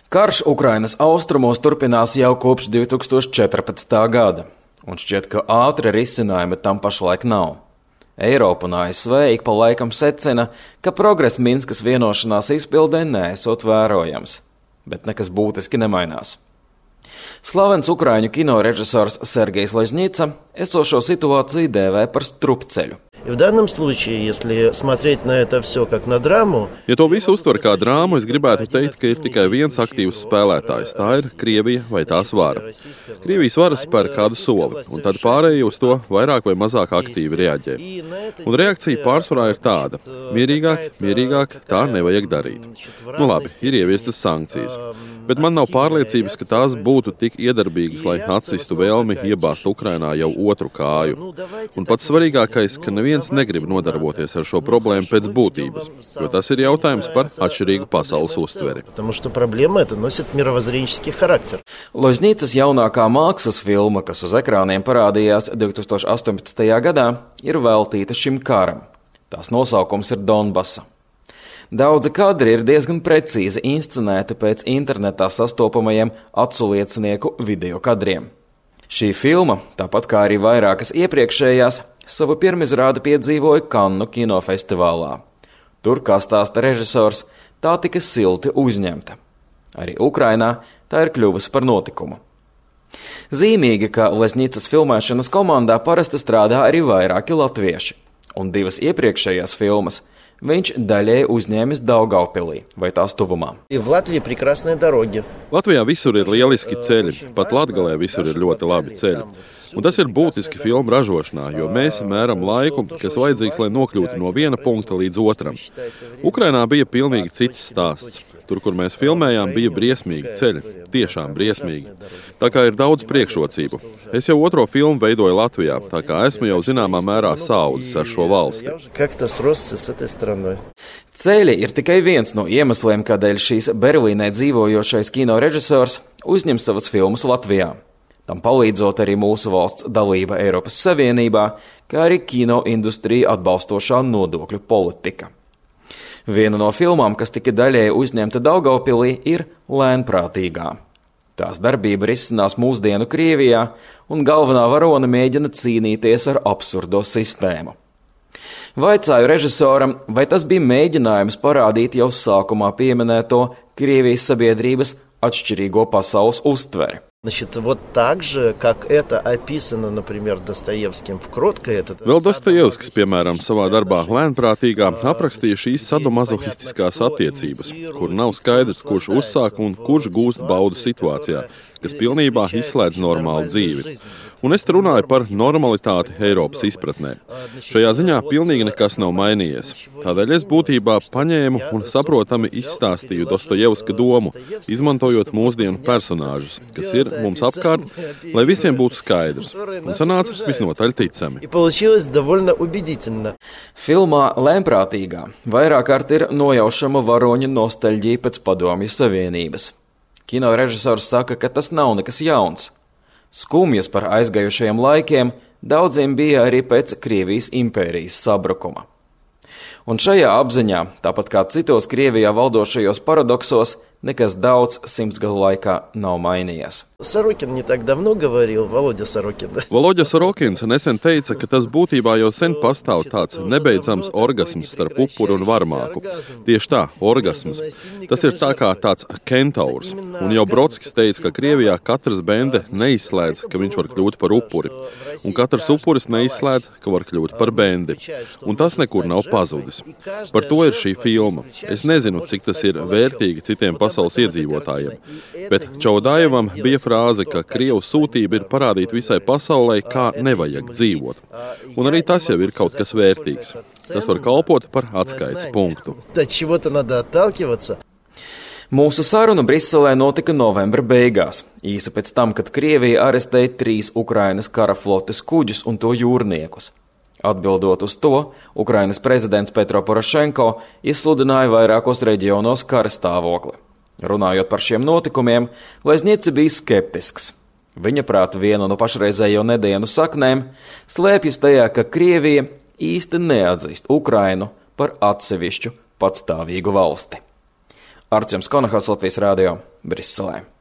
Karš Ukrainas austrumos turpinās jau kopš 2014. gada, un šķiet, ka ātri risinājumi tam pašlaik nav. Eiropa un ASV ik pa laikam secina, ka progress Minskas vienošanās izpildē neesot vērojams, bet nekas būtiski nemainās. Slavens ukraiņu kinorežisors Sergejs Loznica esošo situāciju dēvē par strupceļu. В данном случае, если смотреть на это все как на драму... Ja to visu uztver kā drāmu, es gribētu teikt, ka ir tikai viens aktīvs spēlētājs. Tā ir Krievija vai tās vara. Krievijas vara spēr kādu soli, un tad pārējie uz to vairāk vai mazāk aktīvi reaģē. Un reakcija pārsvarā ir tāda: mierīgāk, tā nevajag darīt. Nu labi, ir ieviestas sankcijas, bet man nav pārliecības, ka tās būtu tik iedarbīgas, lai atsistu vēlmi iebāzt Ukrainā jau otru kāju. Un pats svarīgākais, ka neviens negrib nodarboties ar šo problēmu pēc būtības, jo tas ir jautājums par atšķirīgu pasaules uztveri. Loznicas jaunākā mākslas filma, kas uz ekrāniem parādījās 2018. gadā, ir veltīta šim karam. Tās nosaukums ir Donbasa. Daudzi kadri ir diezgan precīzi inscenēti pēc internetā sastopamajiem aculiecinieku video kadriem. Šī filma, tāpat kā arī vairākas iepriekšējās, savu pirmizrādi piedzīvoja Kannu kinofestivālā. Tur, kā stāsta režisors, tā tika silti uzņemta. Arī Ukrainā tā ir kļuvusi par notikumu. Zīmīgi, ka Loznicas filmēšanas komandā parasti strādā arī vairāki latvieši, un divas iepriekšējās filmas viņš daļēji uzņēmis Daugavpilī vai tās tuvumā. Latvijā visur ir lieliski ceļi, pat Latgalē visur ir ļoti labi ceļi. Un tas ir būtiski filmu ražošanā, jo mēs mēram laiku, kas vajadzīgs, lai nokļūtu no viena punkta līdz otram. Ukrainā bija pilnīgi cits stāsts. Tur, kur mēs filmējām, bija briesmīgi ceļi, tiešām briesmīgi. Tā kā ir daudz priekšrocību. Es jau otro filmu veidoju Latvijā, tā kā esmu jau zināmā mērā saaudzis ar šo valsti. Ceļi ir tikai viens no iemesliem, kādēļ šīs Berlīnē dzīvojošais kinorežisors uzņem savas filmas Latvijā. Tam palīdzot arī mūsu valsts dalība Eiropas Savienībā, kā arī kino industrija atbalstošā nodokļu politika. Viena no filmām, kas tika daļēji uzņemta Daugavpilī, ir Lēnprātīgā. Tās darbība risinās mūsdienu Krievijā, un galvenā varone mēģina cīnīties ar absurdo sistēmu. Vaicāju režisoram, vai tas bija mēģinājums parādīt jau sākumā pieminēto Krievijas sabiedrības atšķirīgo pasaules uztveri. Вот так же, как это описано, например, Достоевским в «Кротко». Vēl Dostojevskis, piemēram, savā darbā Lēnprātīgā aprakstīja šīs sadomazohistiskās attiecības, kur nav skaidrs, kurš uzsāk un kurš gūst baudu situācijā, kas pilnībā izslēdz normālu dzīvi. Un es te runāju par normalitāti Eiropas izpratnē. Šajā ziņā pilnīgi nekas nav mainījies. Tādēļ es būtībā paņēmu un saprotami izstāstīju Dostojevska domu, izmantojot mūsdienu personāžus, kas ir mums apkārt, lai visiem būtu skaidrs. Un sanāca visnotaļ ticami. Filmā Lēnprātīgā vairāk kārt ir nojaušama varoņa nostalģija pēc Padomju Savienības. Kinorežisors saka, ka tas nav nekas jauns. Skumjas par aizgājušajiem laikiem daudziem bija arī pēc Krievijas impērijas sabrukuma. Un šajā apziņā, tāpat kā citos Krievijā valdošajos paradoksos, nekas daudz simtsgadu laikā nav mainījies. Володя Sorokins nesen teica, ka tas būtībā jau sen pastāv tāds nebeidzams orgasms starp upuru un varmāku. Tieši tā, orgasms. Tas ir tā kā tāds kentaurs. Un jau Brodskis teica, ka Krievijā katrs bende neizslēdz, ka viņš var kļūt par upuri. Un katrs upuris neizslēdz, ka var kļūt par bendi. Un tas nekur nav pazudis. Par to ir šī filma. Es nezinu, cik tas ir vērtīgi citiem pasaules iedzīvotājiem. Bet Čaudajevam bija frāze, ka Krievu sūtība ir parādīt visai pasaulē, kā nevajag dzīvot. Un arī tas jau ir kaut kas vērtīgs. Tas var kalpot par atskaites punktu. Mūsu saruna Briselē notika novembra beigās, īsi pēc tam, kad Krievija arestēja 3 Ukrainas kara flotes kuģus un to jūrniekus. Atbildot uz to, Ukrainas prezidents Petro Porošenko izsludināja vairākos reģionos kara stāvokli. Runājot par šiem notikumiem, Loznica bija skeptisks. Viņa prāt viena no pašreizējo nedienu saknēm slēpjas tajā, ka Krievija īsti neatzīst Ukrainu par atsevišķu patstāvīgu valsti. Artjoms Konahals, Latvijas radio, Briselē.